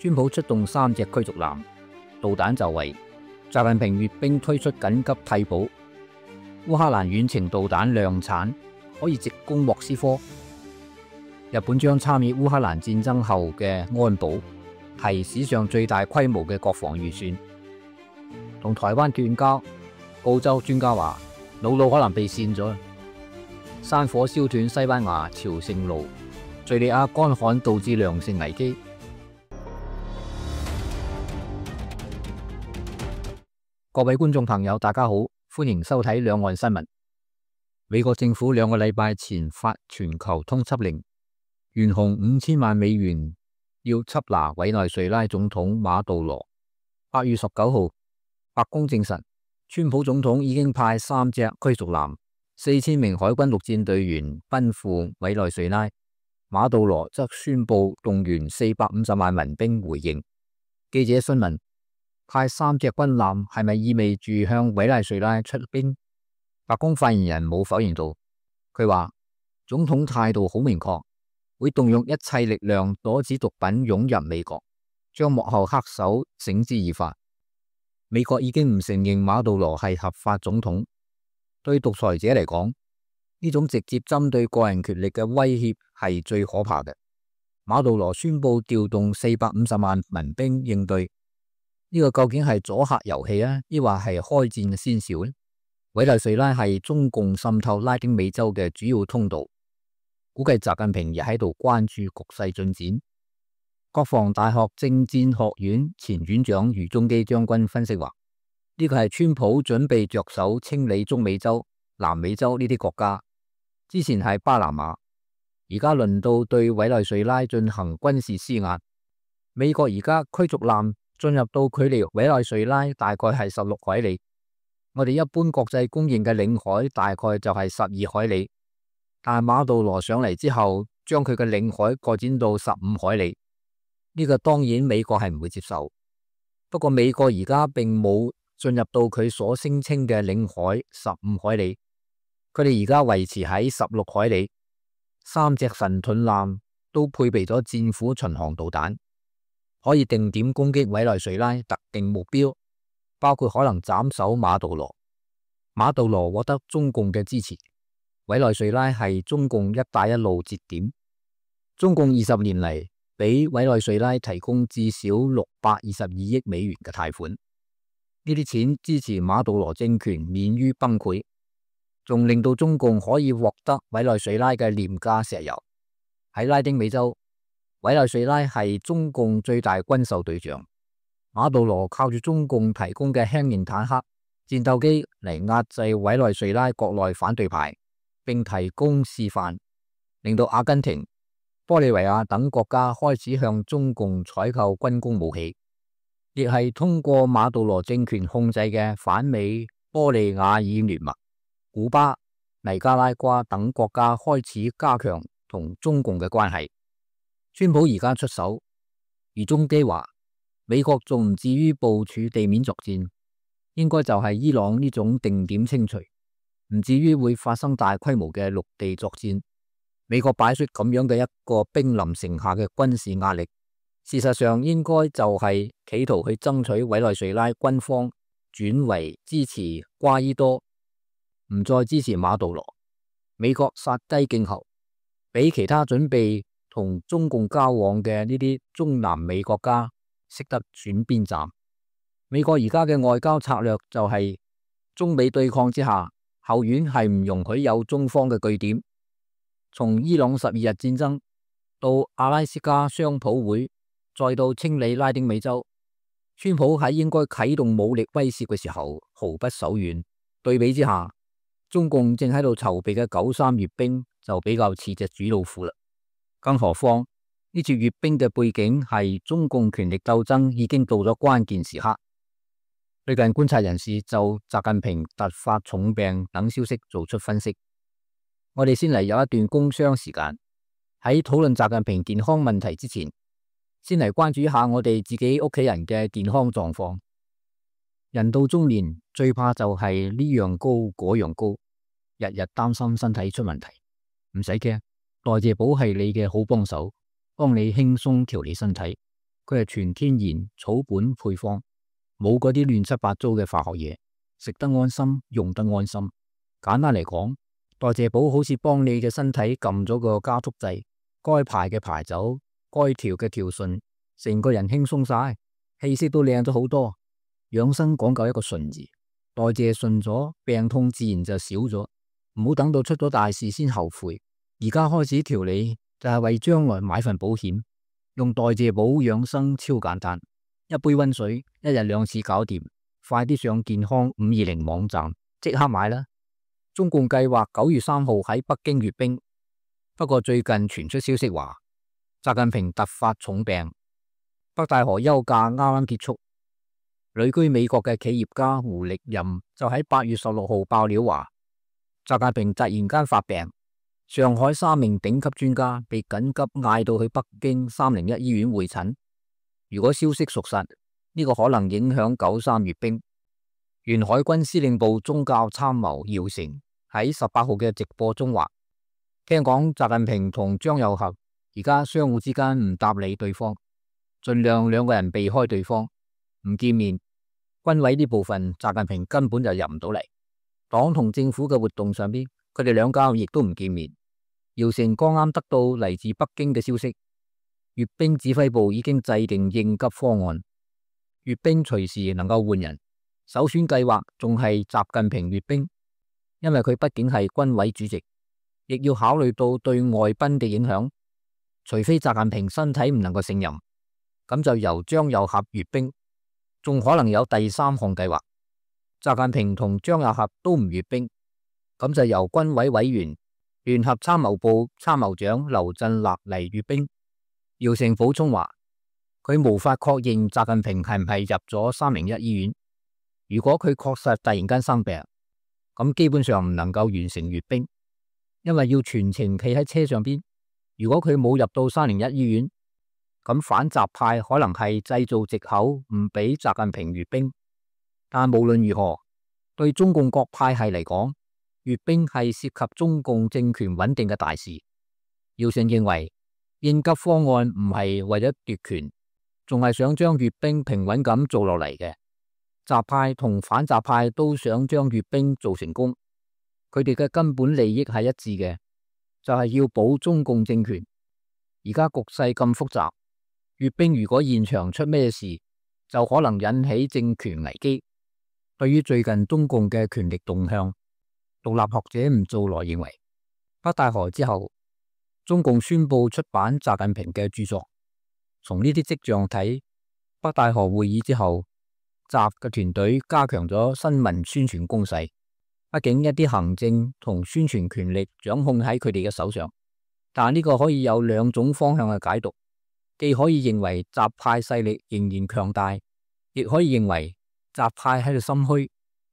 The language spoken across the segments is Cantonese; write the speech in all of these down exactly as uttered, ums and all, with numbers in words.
川普出動三隻驅逐艦，導彈就位。習近平閱兵推出緊急替補。烏克蘭遠程導彈量產，可以直攻莫斯科。日本將參與烏克蘭戰爭後嘅安保，係史上最大規模嘅國防預算。同台灣斷交，澳洲專家話瑙魯可能被跣咗。山火燒斷西班牙朝聖路，敘利亞乾旱導致糧食危機。各位觀眾朋友，大家好，歡迎收睇兩岸新聞。美國政府兩個禮拜前發全球通緝令，懸紅五千萬美元要緝拿委內瑞拉總統馬杜羅。八月十九號，白宮證實，川普總統已經派三隻驅逐艦、四千名海軍陸戰隊員奔赴委內瑞拉。馬杜羅則宣布動員四百五十萬民兵回應。記者詢問，派三隻軍艦係咪意味住向委內瑞拉出兵？白宮發言人冇否認到，佢話總統態度好明確，會動用一切力量阻止毒品湧入美國，將幕後黑手繩之以法。美國已經唔承認馬杜羅係合法總統，對獨裁者嚟講，呢種直接針對個人權力嘅威脅係最可怕嘅。馬杜羅宣布調動四百五十萬民兵應對。呢個究竟係阻嚇遊戲啊，抑或係開戰嘅先兆呢？委內瑞拉係中共滲透拉丁美洲嘅主要通道，估計習近平亦喺度關注局勢進展。國防大學政戰學院前院長余中基將軍分析話，呢個係川普準備着手清理中美洲、南美洲呢啲國家。之前係巴拿馬，而家輪到對委內瑞拉進行軍事施壓。美國而家驅逐艦進入到距離委內瑞拉大概係十六海里，我哋一般國際公認嘅領海大概就係十二海里，但係馬杜羅上嚟之後，將佢嘅領海擴展到十五海里，呢個當然美國係唔會接受。不過美國而家並冇進入到佢所聲稱嘅領海十五海里，佢哋而家維持喺十六海里，三隻神盾艦都配備咗戰斧巡航導彈，可以定點攻擊委內瑞拉特定目標，包括可能斬首馬杜羅。馬杜羅獲得中共嘅支持，委內瑞拉係中共一帶一路節點。中共二十年嚟俾委內瑞拉提供至少六百二十二億美元嘅貸款，呢啲錢支持馬杜羅政權免於崩潰，仲令到中共可以獲得委內瑞拉嘅廉價石油。喺拉丁美洲，委內瑞拉係中共最大軍售對象，馬杜羅靠住中共提供嘅輕型坦克、戰鬥機嚟壓制委內瑞拉國內反對派，並提供示範，令到阿根廷、玻利維亞等國家開始向中共採購軍工武器，亦係通過馬杜羅政權控制嘅反美玻利瓦爾聯盟、古巴、尼加拉瓜等國家開始加強同中共嘅關係。川普而家出手，余中基話美國仲唔至於部署地面作戰，應該就係伊朗呢種定點清除，唔至於會發生大規模嘅陸地作戰。美國擺出咁樣嘅一個兵臨城下嘅軍事壓力，事實上應該就係企圖去爭取委內瑞拉軍方轉為支持瓜伊多，唔再支持馬杜羅。美國殺雞儆猴，俾其他準備同中共交往嘅呢啲中南美國家識得選邊站。美國而家嘅外交策略就係中美對抗之下，後院係唔容許有中方嘅據點。從伊朗十二日戰爭到阿拉斯加商普會，再到清理拉丁美洲，川普喺應該啟動武力威懾嘅時候毫不手軟。對比之下，中共正喺度籌備嘅九三閱兵就比較似隻主老虎啦。更何況呢次閱兵嘅背景係中共權力鬥爭已經到咗關鍵時刻。最近觀察人士就習近平突發重病等消息做出分析。我哋先嚟有一段工商時間，喺討論習近平健康問題之前，先嚟關注一下我哋自己屋企人嘅健康狀況。人到中年最怕就係呢樣高嗰樣高，日日擔心身體出問題。唔使驚，代謝寶係你嘅好幫手，幫你輕鬆調理身體，佢係全天然草本配方，冇嗰啲亂七八糟嘅化學嘢，食得安心，用得安心。簡單嚟講，代謝寶好似幫你嘅身體撳咗個加速掣，該排嘅排走，該調嘅調順，成個人輕鬆晒，氣色都靚咗好多。養生講究一個順字，代謝順咗，病痛自然就少咗。唔好等到出咗大事先後悔，而家開始調理就係為將來買份保險。用代謝寶養生超簡單，一杯溫水，一日兩次搞掂。快啲上健康五二零網站即刻買啦！中共計劃九月三號喺北京閱兵，不過最近傳出消息話，習近平突發重病，北戴河休假啱啱結束。旅居美國嘅企業家胡力任就喺八月十六號爆料話，習近平突然間發病，上海三名頂級專家被緊急嗌到去北京三零一醫院會診。如果消息屬實，呢個可能影響九三閱兵。原海軍司令部宗教參謀姚成喺十八號嘅直播中話，聽講習近平同張又俠而家相互之間唔搭理對方，盡量兩個人避開對方，唔見面。軍委呢部分習近平根本就入唔到嚟，黨同政府嘅活動上邊，佢哋兩家亦都唔見面。姚成剛啱得到嚟自北京嘅消息，閱兵指揮部已經制定應急方案，閱兵隨時能夠換人。首選計劃仲係習近平閱兵，因為佢畢竟係軍委主席，亦要考慮到對外賓嘅影響。除非習近平身體唔能夠勝任，咁就由張又俠閱兵。仲可能有第三項計劃，習近平同張又俠都唔閱兵，咁就由軍委委員、聯合參謀部參謀長劉振立嚟閱兵。姚成補充話，佢無法確認習近平係唔係入咗三零一醫院。如果佢確實突然間生病，咁基本上唔能夠完成閱兵，因為要全程企喺車上邊。如果佢冇入到三零一醫院，咁反習派可能係製造藉口唔俾習近平閱兵。但無論如何，對中共各派系嚟講，閱兵係涉及中共政權穩定嘅大事。姚成認為應急方案唔係為咗奪權，仲係想將閱兵平穩咁做落嚟嘅。習派同反習派都想將閱兵做成功，佢哋嘅根本利益係一致嘅，就係要保中共政權。而家局勢咁複雜，閱兵如果現場出咩事，就可能引起政權危機。對於最近中共嘅權力動向，獨立學者吳造來認為，北戴河之後，中共宣布出版習近平嘅著作。從呢啲跡象睇，北戴河會議之後，習嘅團隊加強咗新聞宣傳攻勢。畢竟一啲行政同宣傳權力掌控喺佢哋嘅手上，但呢個可以有兩種方向嘅解讀，既可以認為習派勢力仍然強大，亦可以認為習派喺度心虛，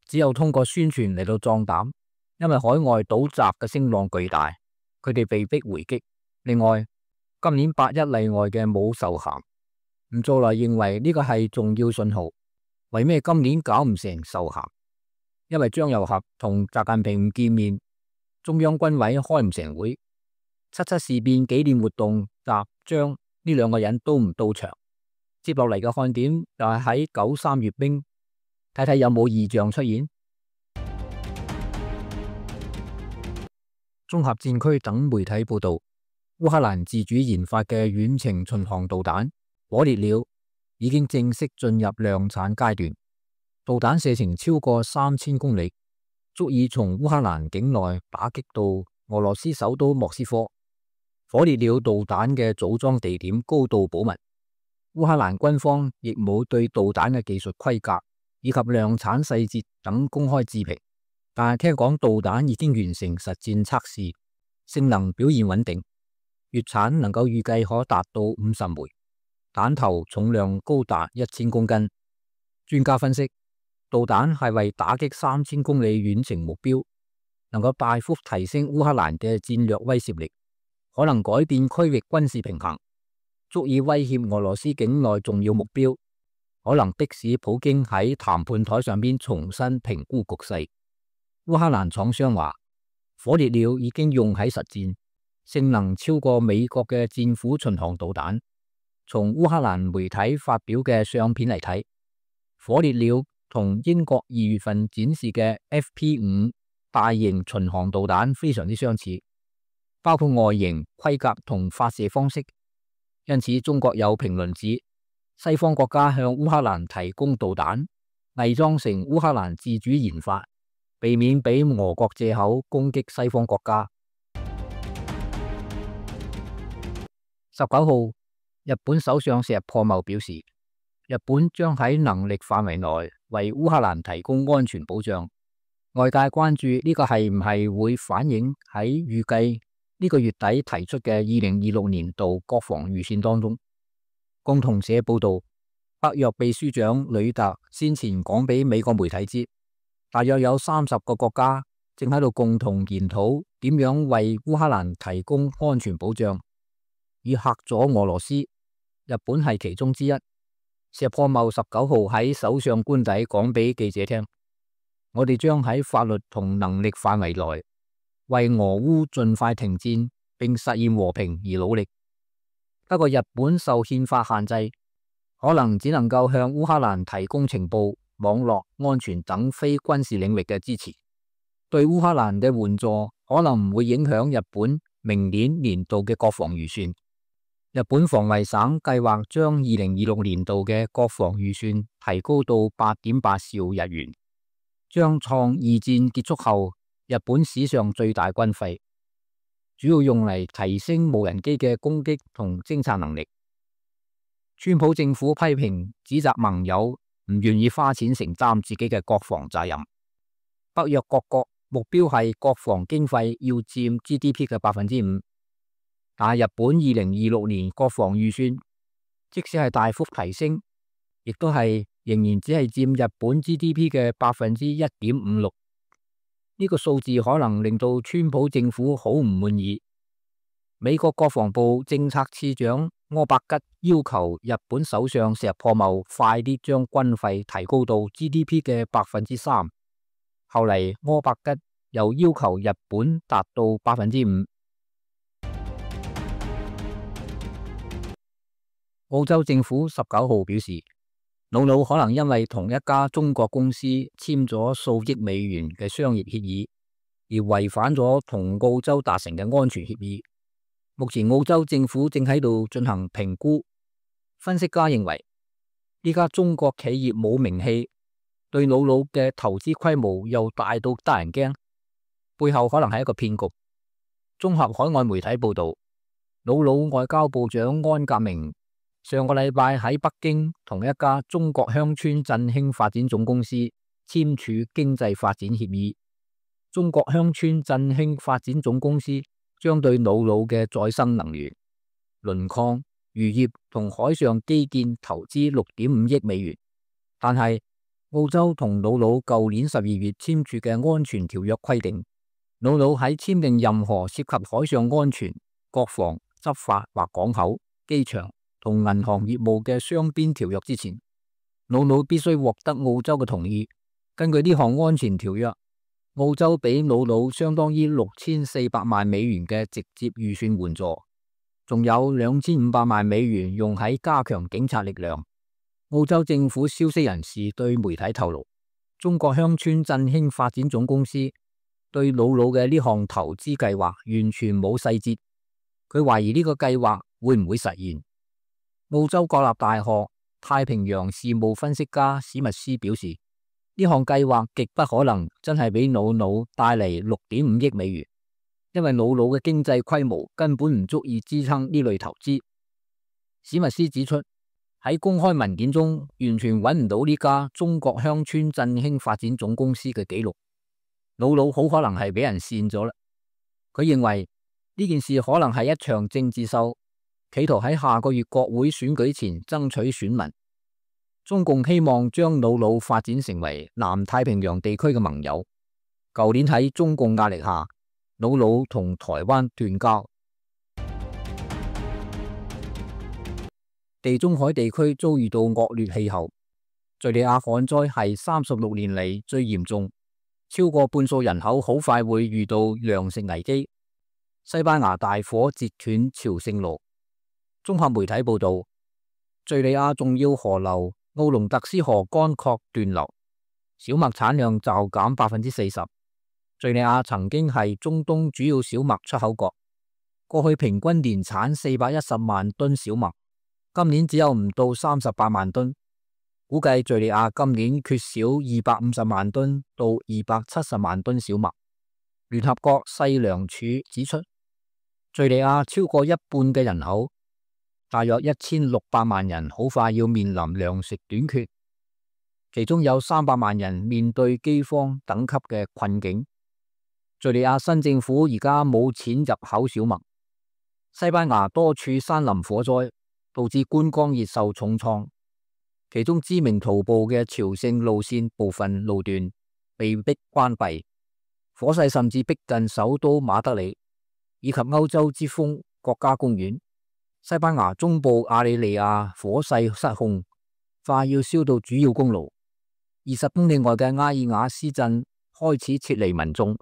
只有通過宣傳嚟到壯膽。因為海外倒習嘅聲浪巨大，佢哋被逼回擊。另外，今年八一例外嘅冇授銜，吳造來認為呢個係重要信號。為咩今年搞唔成授銜？因為張又俠同習近平唔見面，中央軍委開唔成會，七七事變紀念活動，習張呢兩個人都唔到場。接落嚟嘅看點就係喺九三閱兵，睇睇有冇異象出現。綜合戰區等媒體報道，烏克蘭自主研發嘅遠程巡航導彈火烈鳥已經正式進入量產階段，導彈射程超過三千公里，足以從烏克蘭境內打擊到俄羅斯首都莫斯科。火烈鳥導彈嘅組裝地點高度保密，烏克蘭軍方亦冇對導彈嘅技術規格以及量產細節等公開置評。但係聽講導彈已經完成實戰測試，性能表現穩定，月產能夠預計可達到五十枚，彈頭重量高達一千公斤。專家分析，導彈係為打擊三千公里遠程目標，能夠大幅提升烏克蘭嘅戰略威懾力，可能改變區域軍事平衡，足以威脅俄羅斯境內重要目標，可能迫使普京喺談判台上邊重新評估局勢。烏克蘭廠商話，火烈鳥已經用喺實戰，性能超過美國嘅戰斧巡航導彈，從烏克蘭媒體發表嘅相片嚟睇，火烈鳥同英國二月份展示嘅 F P 五大型巡航導彈非常之相似，包括外形、規格同發射方式。因此，中國有評論指，西方國家向烏克蘭提供導彈，偽裝成烏克蘭自主研發，避免俾俄國借口攻擊西方國家。十九號，日本首相石破茂表示，日本將喺能力範圍內為烏克蘭提供安全保障。外界關注呢個係唔係會反映喺預計呢個月底提出嘅二零二六年度國防預算當中。共同社報道，北約秘書長呂特先前講俾美國媒體知，大約有三十個國家正喺度共同研討點樣為烏克蘭提供安全保障，以嚇阻俄羅斯。日本係其中之一。石破茂十九號喺首相官邸講俾記者聽，我哋將喺法律同能力範圍內為俄烏盡快停戰並實現和平而努力。不過日本受憲法限制，可能只能夠向烏克蘭提供情報、網絡安全等非軍事領域嘅支持。對烏克蘭嘅援助可能唔會影響日本明年年度嘅國防預算。日本防衛省計劃將二零二六年度嘅國防預算提高到八點八兆日元，將創二戰結束後日本史上最大軍費，主要用嚟提升無人機嘅攻擊同偵察能力。川普政府批評指責盟友唔願意花錢承擔自己嘅國防責任。北約各國目標係國防經費要佔 G D P 嘅百分之五。但係日本二零二六年國防預算，即使係大幅提升，亦都係仍然只係佔日本 G D P 嘅百分之一點五六。呢個數字可能令到川普政府好唔滿意。美國國防部政策次長柯伯吉要求日本首相石破茂快啲將軍費提高到 G D P 嘅百分之三。後嚟柯伯吉又要求日本達到百分之五。澳洲政府十九號表示，瑙魯可能因為同一家中國公司簽咗數億美元嘅商業協議，而違反咗同澳洲達成嘅安全協議。目前澳洲政府正喺度進行評估。分析家認為，呢家中國企業冇名氣，對瑙魯嘅投資規模又大到得人驚，背後可能係一個騙局。綜合海外媒體報道，瑙魯外交部長安格明上個禮拜喺北京同一家中國鄉村振興發展總公司簽署經濟發展協議。中國鄉村振興發展總公司將對瑙魯嘅再生能源、磷礦、漁業同海上基建投資六點五億美元。但係澳洲同瑙魯舊年十二月簽署嘅安全條約規定，瑙魯喺簽訂任何涉及海上安全、國防、執法或港口、機場同銀行業務嘅雙邊條約之前，瑙魯必須獲得澳洲嘅同意。根據呢項安全條約，澳洲俾瑙魯相當於六千四百萬美元嘅直接預算援助，仲有兩千五百萬美元用喺加強警察力量。澳洲政府消息人士對媒體透露，中國鄉村振興發展總公司對瑙魯嘅呢項投資計劃完全冇細節，佢懷疑呢個計劃會唔會實現。澳洲國立大學太平洋事務分析家史密斯表示，呢項計劃極不可能真係俾瑙魯帶嚟六點五億美元，因為瑙魯嘅經濟規模根本唔足以支撐呢類投資。史密斯指出，喺公開文件中完全揾唔到呢家中國鄉村振興發展總公司嘅記錄，瑙魯好可能係俾人扇咗啦。佢認為呢件事可能係一場政治秀，企圖喺下個月國會選舉前爭取選民。中共希望將瑙魯發展成為南太平洋地區嘅盟友。舊年喺中共壓力下，瑙魯同台灣斷交。地中海地區遭遇到惡劣氣候，敘利亞旱災係三十六年嚟最嚴重，超過半數人口好快會遇到糧食危機。西班牙大火截斷朝聖路。綜合媒體報道，敘利亞重要河流奧龍特斯河乾涸斷流，小麥產量驟減百分之四十。敘利亞曾經係中東主要小麥出口國，過去平均年產四百一十萬噸小麥，今年只有唔到三十八萬噸。估計敘利亞今年缺少二百五十萬噸到二百七十萬噸小麥。聯合國世糧署指出，敘利亞超過一半嘅人口，大約一千六百萬人，好快要面臨糧食短缺，其中有三百萬人面對饑荒等級嘅困境。敘利亞新政府而家冇錢入口小麥。西班牙多處山林火災導致觀光業受重創。其中知名徒步嘅朝聖路線部分路段被迫關閉，火勢甚至逼近首都馬德里以及歐洲之峰國家公園。西班牙中部阿里利亞火勢失控，快要燒到主要公路。二十公里外嘅埃爾瓦斯鎮開始撤離民眾。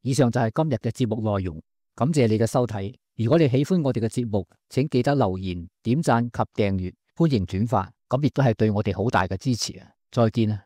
以上就係今日嘅節目內容，感謝你嘅收睇。如果你喜歡我哋嘅節目，請記得留言、點讚及訂閱。歡迎轉發，咁亦都係對我哋好大嘅支持啊！再見啊！